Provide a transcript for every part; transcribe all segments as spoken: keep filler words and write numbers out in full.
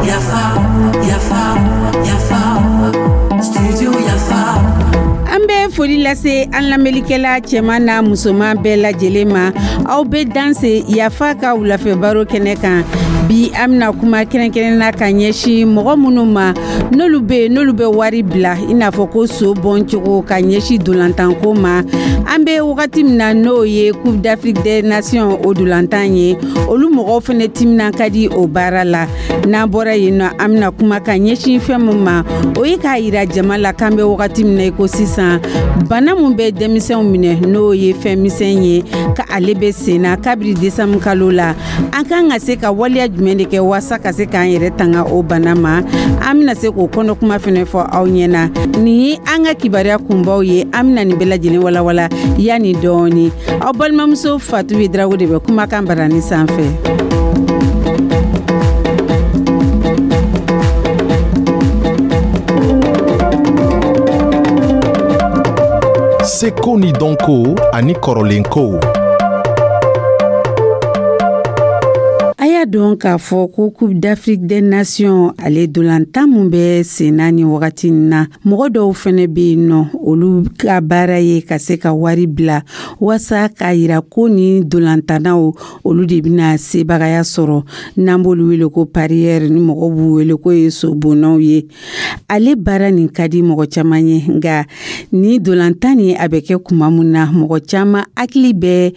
Yafa, yafa, yafa, studio Yafa. An bɛ foli lase an lamɛnlikɛla cɛman n'a musoman bɛɛ lajɛlen ma. Aw bɛ danse Yafa ka wulafɛ baro kɛnɛ kan. Bi, an bɛna kuma kɛrɛnkɛrɛnna ka ɲɛsin mɔgɔ minnu ma, n'olu bɛ yen, n'olu bɛ wari bila, i n'a fɔ ko so bɔncogo, ka ɲɛsin dolantanko ma. An bɛ wagati min na, n'o ye Coupe d'Afrique des Nations, o dolantan ye, olu mɔgɔw fana timinan ka di o baara la. N'an bɔra yen nɔ, an bɛna kuma ka ɲɛsin fɛn min ma, o ye k'a yira jama la k'an bɛ wagati min na i ko sisan, bana min bɛ denmisɛnw minɛ, n'o ye fɛn misɛn ye, ka ale bɛ sen na kabiri desanburu kalo la. An kan ka se ka waleya jumɛn de kɛ waasa ka se k'an yɛrɛ tanga o bana ma? An bɛna se k'o kɔnɔkuma fɛnɛ fɔ aw ɲɛna. Nin ye an ka kibaruya kunbaw ye. An bɛna nin bɛɛ lajɛlen walawala yanni dɔɔni. Aw balimamuso Fatu Darago de bɛ kumakan barani sanfɛ. Seko ni dɔnko ani kɔrɔlenkow. A y'a dɔn k'a fɔ ko Coupe d'Afrique des Nations, ale dolantan mun bɛ senna ni wagati in na, mɔgɔ dɔw fɛnɛ bɛ yen nɔ, olu ka baara ye ka se ka wari bila waasa k'a yira ko ni dolantannaw, olu de bɛna sebagaya sɔrɔ. N'an b'olu wele ko parieur, ni mɔgɔw b'u wele ko ye sobonnaw ye. Ale baara nin ka di mɔgɔ caman ye, nka ni dolantan nin a bɛ kɛ kuma mun na, mɔgɔ caman hakili bɛ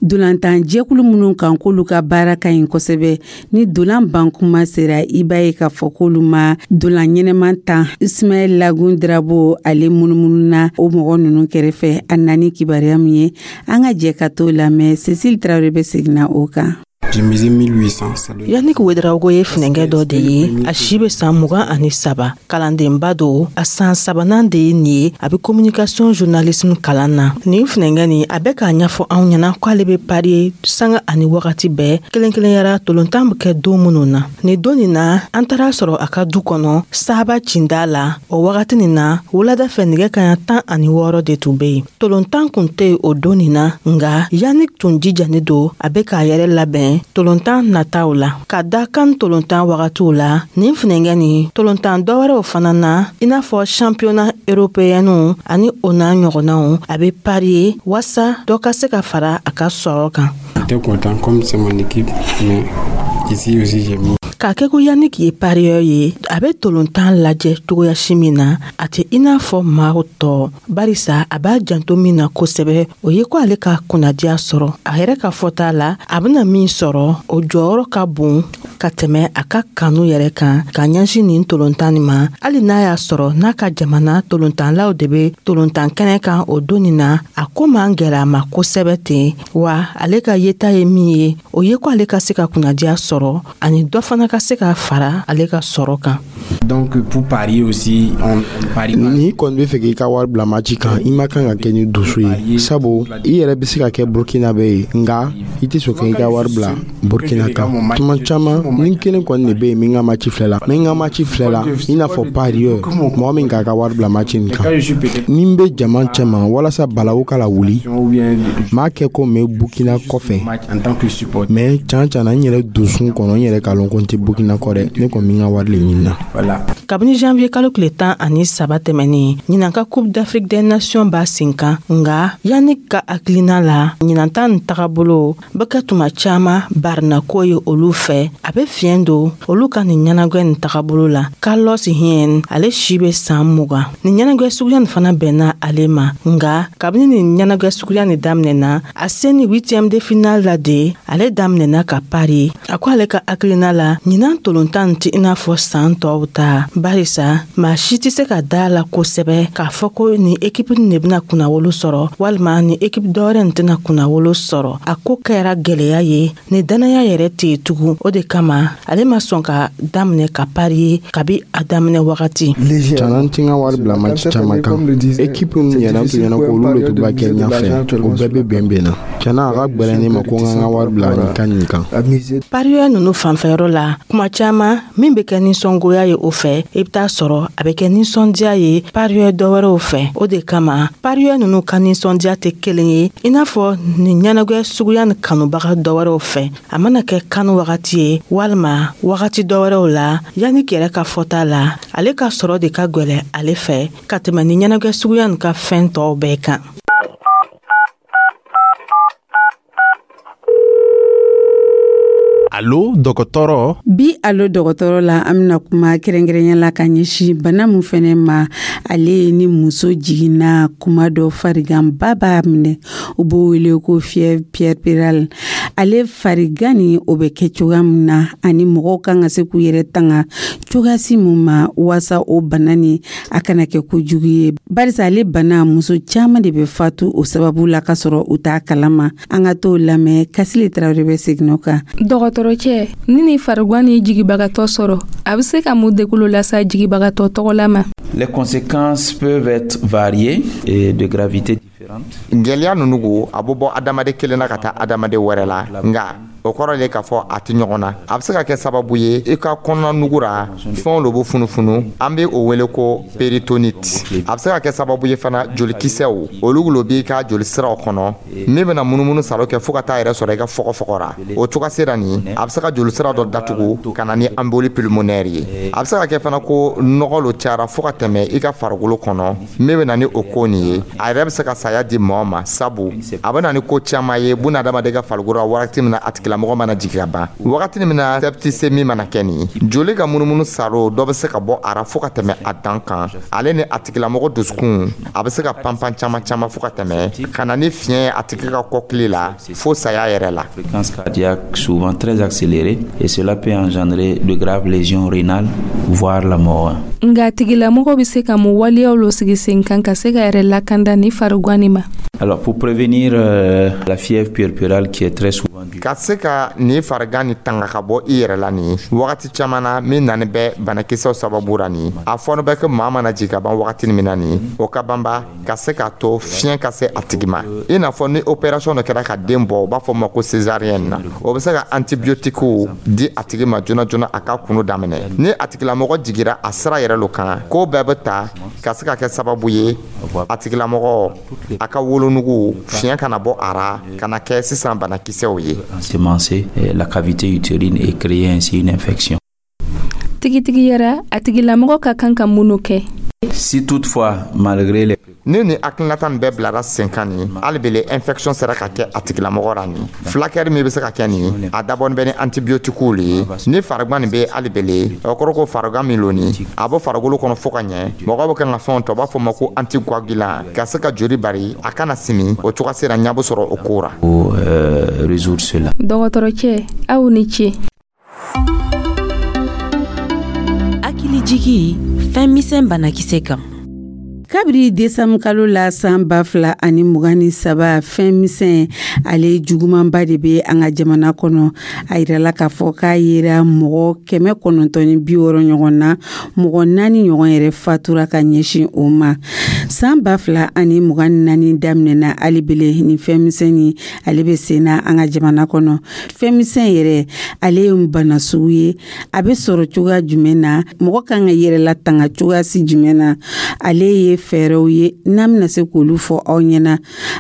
dolantan jɛkulu minnu kan k'olu ka baara ka ɲi kosɛbɛ, ni dolan ban kuma sera, i b'a ye k'a fɔ k'olu ma dolan ɲɛnɛman tan. Ismaɛl Lagun Drabo, ale munumununa o mɔgɔ ninnu kɛrɛfɛ. A nani kibaruya min ye, an ka jɛ ka t'o lamɛn. Cecile Tarawele bɛ seginna o kan. Yannick Ouedraogo ye funɛnkɛ dɔ de ye. A si bɛ san mugan ani saba, kalandenba don. A san sabanan de ye nin ye, a bɛ communication journalisme kalan na. Nin funɛnkɛ nin, a bɛ k'a ɲɛfɔ anw ɲɛna k'ale bɛ parier sanga ani wagati bɛɛ, kelen kelenyara tolontan bɛ kɛ don minnu na. Nin don nin na, an taara sɔrɔ a ka du kɔnɔ, Saba cinda la. O wagati nin na, wulada fɛ nɛgɛ kaɲa tan ani wɔɔrɔ de tun bɛ yen. Tolontan kun tɛ yen o don nin na, nka Yannick tun jijani don, a bɛ k'a yɛrɛ labɛn tolontan nataw la ka da kan tolontan wagatiw la. Nin funɛnkɛ nin, tolontan dɔwɛrɛw fana na, i n'a fɔ championnat européenw ani o n'a ɲɔgɔnnaw, a bɛ parier waasa dɔ ka se ka fara a ka sɔrɔ kan. Content comme c'est mon équipe, mais ici aussi j'ai mis. K'a kɛ ko Yannick ye parieur ye, a bɛ tolontan lajɛ cogoya si min na, a tɛ i n'a fɔ maaw tɔ, barisa a b'a janto min na kosɛbɛ, o ye ko ale ka kunnadiya sɔrɔ. A yɛrɛ ka fɔta la, a bɛna min sɔrɔ, o jɔyɔrɔ ka bon ka tɛmɛ a ka kanu yɛrɛ kan ka ɲɛsin nin tolontan nin ma. Hali n'a y'a sɔrɔ n'a ka jamana tolontanlaw de bɛ tolontan kɛnɛ kan o don nin na, a ko man gɛlɛ a ma kosɛbɛ ten wa. Ale ka yeta ye min ye, o ye ko ale ka se ka kunnadiya sɔrɔ ani dɔ fana ka se ka fara ale ka sɔrɔ kan. Donc pour parier aussi, on, on parie pas. N'i kɔni bɛ fɛ k'i ka wari bila match kan, i ma kan ka kɛ ni dusu ye, sabu i yɛrɛ bɛ se ka kɛ Burkina bɛ ye, nka i tɛ sɔn k'i ka wari bila Burkina kan. Tuma caman, ni kelen kɔni de bɛ yen min ka match filɛ la, min ka match filɛ la, i n'a fɔ parieur, mɔgɔ min k'a ka wari bila match nin kan, ni n bɛ jama cɛma walasa balawu ka wuli, m'a kɛ ko n bɛ Burkina kɔfɛ, mais can can na, n yɛrɛ dusun kɔnɔ, n yɛrɛ k'a lɔn ko n tɛ Burkina kɔ dɛ, ne kɔni bɛ n ka wari de ɲini na. Kabini janvier kalo tile tan ani saba tɛmɛnin, ɲinan ka Coupe d'Afrique des Nations b'a sen kan, nga Yannick ka hakilina la, ɲinan ta nin tagabolo bɛ kɛ tuma caaman barinako ye olu fɛ. A bɛ fiɲɛ don olu ka nin ɲɛnagwɛ nin tagabolo la. Carlos Hien, ale si bɛ san mugan. Nin ɲɛnagwɛ suguya nin fana bɛnna ale ma, nga kabini nin ɲɛnagwɛ suguya nin daminɛna, a se ni huitième de finale la de, ale daminɛna ka parier. A ko ale ka hakilina la, ɲinan tolontan tɛ i n'a fɔ san tɔw ta, barisa maa si tɛ se ka da la kosɛbɛ k'a fɔ ko nin ekipu nin de bɛna kunnawolo sɔrɔ walima nin ekipu dɔwɛrɛ nin tɛna kunnawolo sɔrɔ. A ko kɛra gwɛlɛya ye, ni dannaya yɛrɛ tɛ yen tugun. O de kama ale ma sɔn ka daminɛ ka parier kabi a daminɛ wagati. Cana, n ti n ka wari bila match caman kan. Ekipu min yɛrɛ tun ɲɛna ko olu de tun b'a kɛ ɲɛfɛ, o bɛɛ bɛ bɛn bɛn na. Cana, a ka gwɛlɛn ne ma ko n ka n ka wari bila nin kan nin kan. Parieur ninnu fanfɛyɔrɔ la, kuma caman min bɛ kɛ nisɔngoya ye. ye o fɛ, i bɛ taa sɔrɔ a bɛ kɛ nisɔndiya ye parieur dɔ wɛrɛw fɛ. O de kama parieur ninnu ka nisɔndiya tɛ kelen ye i n'a fɔ nin ɲɛnagwɛ suguya ni kanubaga dɔ wɛrɛw fɛ. A mana kɛ CAN wagati ye walima wagati dɔ wɛrɛw la, Yannick yɛrɛ ka fɔta la, ale ka sɔrɔ de ka gwɛlɛ ale fɛ ka tɛmɛ ni ɲɛnagwɛ suguya nin ka fɛn tɔw bɛɛ kan. Alo dɔgɔtɔrɔ. Bi alo dɔgɔtɔrɔ la, an bɛna kuma kɛrɛnkɛrɛnya la ka ɲɛsin bana min fɛnɛ ma, ale ye ni muso jiginna kuma dɔ fariganba b'a minɛ, u b'o wele ko fièvre puerpérale. Ale farigan ni o bɛ kɛ cogoya min na ani mɔgɔw kan ka se k'u yɛrɛ tanga cogoyasi mun ma waasa o bana ni a kana kɛ kojugu ye, barisa ale bana muso caman de bɛ fatu o sababu la ka sɔrɔ u t'a kalama. An ka t'o lamɛn, Kasile Tarawele bɛ segin o kan. Dɔgɔtɔrɔcɛ, ni ni farigan ni jigibagatɔ sɔrɔ, a bɛ se ka mun degun lase jigibagatɔ tɔgɔ la ma? Les conséquences peuvent être variées et de gravité différente. Gwɛlɛya ninnu ko a bɛ bɔ adamaden kelen na ka taa adamaden wɛrɛ la, nka o kɔrɔ le k'a fɔ a tɛ ɲɔgɔn na. A bɛ se ka kɛ sababu ye i ka kɔnɔna nugu ra fɛnw lo bɛ funufunu, an bɛ o wele ko péritonite. A bɛ se ka kɛ sababu ye fana jolikisɛw olu lo b'i ka joli siraw kɔnɔ min bɛna munumunu salo kɛ fo ka taa yɛrɛ sɔrɔ i ka fɔgɔfɔgɔ ra. O cogoya sera nin a bɛ se ka joli sira dɔ datugu ka na ni embolie pulmonaire ye. A bɛ se ka kɛ fana ko nɔgɔ lo cayara fo ka tɛmɛ i ka farikolo kɔnɔ min bɛ na ni o ko nin ye. A yɛrɛ bɛ se ka saya di mɔgɔ ma, sabu a bɛ na ni ko caman ye bunadamaden ka farikolo la wagati min na a tigilamɔgɔ mana jigin ka ban. Wagati min na septicémie mana kɛ nin joli ka munumunu saro dɔ bɛ se ka bɔ a ra fo ka tɛmɛ a dan kan. Ale ni a tigilamɔgɔ dusukun a bɛ se ka panpan caman caman fo ka tɛmɛ ka na ni fiɲɛ ye a tigi ka kɔkili la fo saya yɛrɛ la. Fréquence cardiaque souvent très accélérée et cela peut engendrer de graves lésions rénales, voire la mort. Nka tigilamɔgɔ bɛ se ka mun waleyaw lo sigi sen kan ka se ka yɛrɛ lakanda ni farigan nin ma? Alors pour prévenir euh, la fièvre puerpérale qui est très souvent due ka se ka nin farigan ni tanga ka bɔ i yɛrɛ la nin wagati caman na min nani bɛ banakisɛw sababu ra nin a fɔɔnɔ bɛ kɛ maa mana jigin ka ban wagati min na nin o ka banba ka se k'a to fiɲɛ ka se a tigi ma, i n'a fɔ ni opération dɔ kɛra ka den bɔ, u b'a fɔ ma ko césarienne na, o bɛ se ka antibiotiques di a tigi ma joona joona a ka kunu daminɛ. Ni a tigilamɔgɔ jigira a sira yɛrɛ lo kan, ko bɛɛ bɛ ta ka se ka kɛ sababu ye a tigilamɔgɔ a ka wolonugu fiɲɛ kana bɔ a ra ka na kɛ sisan banakisɛw ye. Ensemencer la cavité utérine et créer ainsi une infection. Tigitigi yɛrɛ, a tigilamɔgɔ ka kan ka mun kɛ? Si toutefois, malgré les Ni ni hakilinata nin bɛɛ bilara sen kan nin hali bele infection sera ka kɛ a tigilamɔgɔ ra nin fulakɛri min bɛ se ka kɛ nin a dabɔnin bɛ ni antibiotiques le ye. Ni farigan nin bɛ hali bele, o kɔrɔ ko farigan min lo nin a bɔ farikolo kɔnɔ fo ka ɲɛ, mɔgɔw bɛ kan ka fɛnw ta, u b'a fɔ ma ko anticoagulant ka se ka joli bari a kana simi, o cogoya sera ɲɛ bɛ sɔrɔ o ko ra. Pour euh, résoudre cela. Dɔgɔtɔrɔcɛ, aw ni ce. Hakilijigi fɛn misɛn banakisɛ kan. Kabiri desanburu kalo la san ba fila ani mugan ni saba, fɛn misɛn ale jugumanba de bɛ an ka jamana kɔnɔ. A yirala k'a fɔ k'a yera mɔgɔ kɛmɛ kɔnɔntɔn ni bi wɔɔrɔ ɲɔgɔn na, mɔgɔ naani ɲɔgɔn yɛrɛ fatura ka ɲɛsin o ma. San ba fila ani mugan ni naani daminɛna, hali bele ni fɛn misɛnnin ale bɛ sen na an ka jamana kɔnɔ. Fɛn misɛn yɛrɛ ale ye bana sugu ye, a bɛ sɔrɔ cogoya jumɛn na, mɔgɔ kan ka yɛrɛ latanga cogoya si jumɛn na, ale ye fɛɛrɛw ye n'an bɛna se k'olu fɔ aw ɲɛna.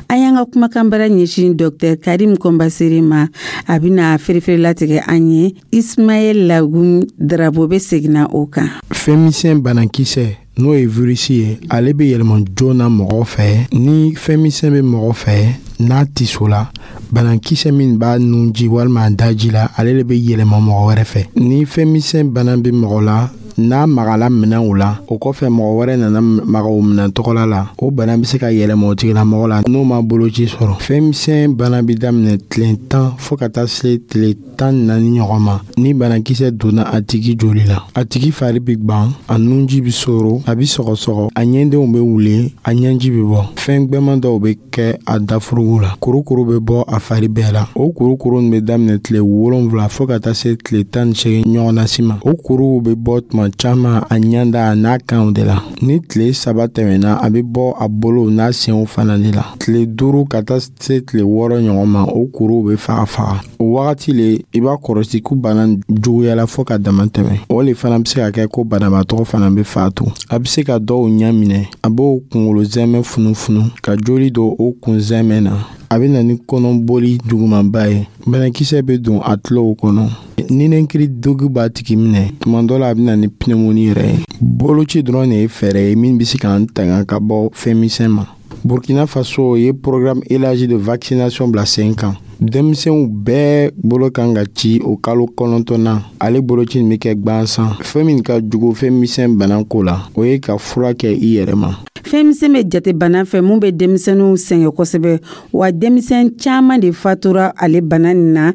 An y'an ka kumakanbara ɲɛsin Docteur Karim Kɔnbasere ma, a bɛna ferefere latigɛ an ye. Ismaël Lagum Darabo bɛ seginna o kan. Fɛn misɛn banakisɛ, n'o ye virisi ye, ale bɛ yɛlɛma joona mɔgɔ fɛ. Ni fɛn misɛn bɛ mɔgɔ fɛ n'a tiso la, banakisɛ min b'a nunji walima a daji la, ale de bɛ yɛlɛma mɔgɔ wɛrɛ fɛ. Ni fɛn misɛn bana bɛ mɔgɔ la, n'a magala minɛnw la, o kɔfɛ mɔgɔ wɛrɛ nana maga o minɛn tɔgɔla la, o bana bɛ se ka yɛlɛma o tigilamɔgɔ la n'o ma boloci sɔrɔ. Fɛn misɛn bana bɛ daminɛ tile tan fo ka taa se tile tan ni naani ɲɔgɔn ma. Ni banakisɛ donna a tigi joli la, a tigi fari bɛ gwan, a nunji bɛ soro, a bɛ sɔgɔsɔgɔ, a ɲɛdenw bɛ wuli, a ɲɛji bɛ bɔ, fɛn gbɛman dɔw bɛ kɛ a dafurugu la, kurukuru bɛ bɔ a fari bɛɛ la. O kurukuru nin bɛ daminɛ tile wolonwula fo ka taa se tile tan ni seegin ɲɔgɔnna si ma. O kuruw bɛ bɔ tuma tuma caman a ɲɛda a n'a kanw de la. Ni tile saba tɛmɛna, a bɛ bɔ a bolow n'a senw fana de la. Tile duuru ka taa se tile wɔɔrɔ ɲɔgɔn ma, o kuruw bɛ faga faga. O wagati le i b'a kɔrɔsi ko bana juguyala fɔɔ ka dama tɛmɛ. O le fana bɛ se ka kɛ ko banabaatɔ fana bɛ faatu. A bɛ se ka dɔw ɲɛ minɛ, a b'o kunkolo zɛmɛ funufunu ka joli don o kun zɛmɛ na. A bɛ na ni kɔnɔboli jugumanba ye. Banakisɛ bɛ don a tulow kɔnɔ. Ninakili degun b'a tigi minɛ. Tuma dɔ la, a bɛ na ni pneumonie yɛrɛ ye. Boloci dɔrɔn de ye fɛɛrɛ ye min bɛ se k'an tanga ka bɔ fɛn misɛn ma. Burkina Faso ye programme élargi de vaccination bila sen kan. Denmisɛnw bɛɛ bolo kan ka ci o kalo kɔnɔntɔnna. Ale boloci nin bɛ kɛ gwansan. Fɛn min ka jugu fɛn misɛn bana ko la, o ye ka fura kɛ i yɛrɛ ma. Fɛn misɛn bɛ jate bana fɛ mun bɛ denmisɛnninw sɛgɛn kosɛbɛ, wa denmisɛn caman de fatura ale bana nin na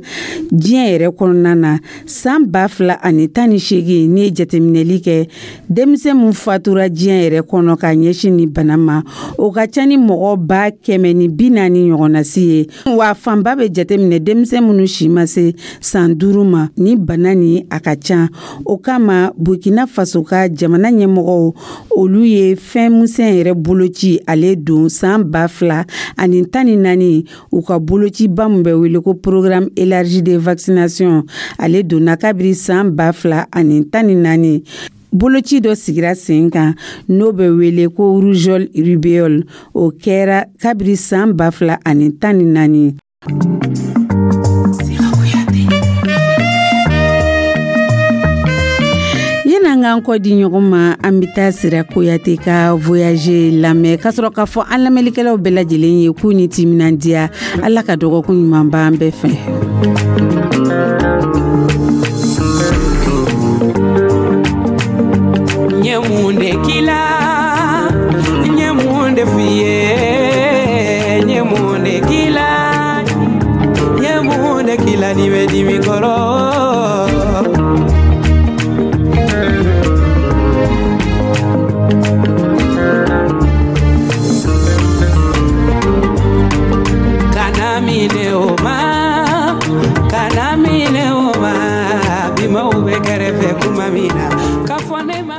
diɲɛ yɛrɛ kɔnɔna na. San ba fila ani tan ni seegin, n'i ye jateminɛli kɛ, denmisɛn mun fatura diɲɛ yɛrɛ kɔnɔ ka ɲɛsin ni bana ma, o ka ca ni mɔgɔ ba kɛmɛ ni bi naani ɲɔgɔnna si ye, wa fanba bɛ jateminɛ denmisɛn minnu si ma se san duuru ma. Ni bana nin a ka ca, o kama Burkina Faso ka jamana ɲɛmɔgɔw, olu ye fɛn misɛn yɛrɛ boloci ale don san ba fila ani tan ni naani. U ka bolociba min bɛ wele ko programme élargi de vaccination, ale donna kabiri san ba fila ani tan ni naani. Boloci dɔ sigira sen kan n'o bɛ wele ko rougeole rubéole, o kɛra kabiri san ba fila ani tan ni naani. Yan'an k'an kɔ di ɲɔgɔn ma, an bɛ taa Sira Koyate ka voyage lamɛn ka sɔrɔ k'a fɔ an lamɛnlikɛlaw bɛɛ lajɛlen ye k'u ni timinandiya. Ala ka dɔgɔkun ɲuman b'an bɛɛ fɛ. N ye mun de k'i la? N ye mun de f'i ye? N ye mun de k'i la? N ye mun de k'i la n'i bɛ dimi kɔrɔ? Kana minɛ o ma, kana minɛ o ma, bimaw bɛ kɛrɛfɛ kuma min na, k'a fɔ ne ma.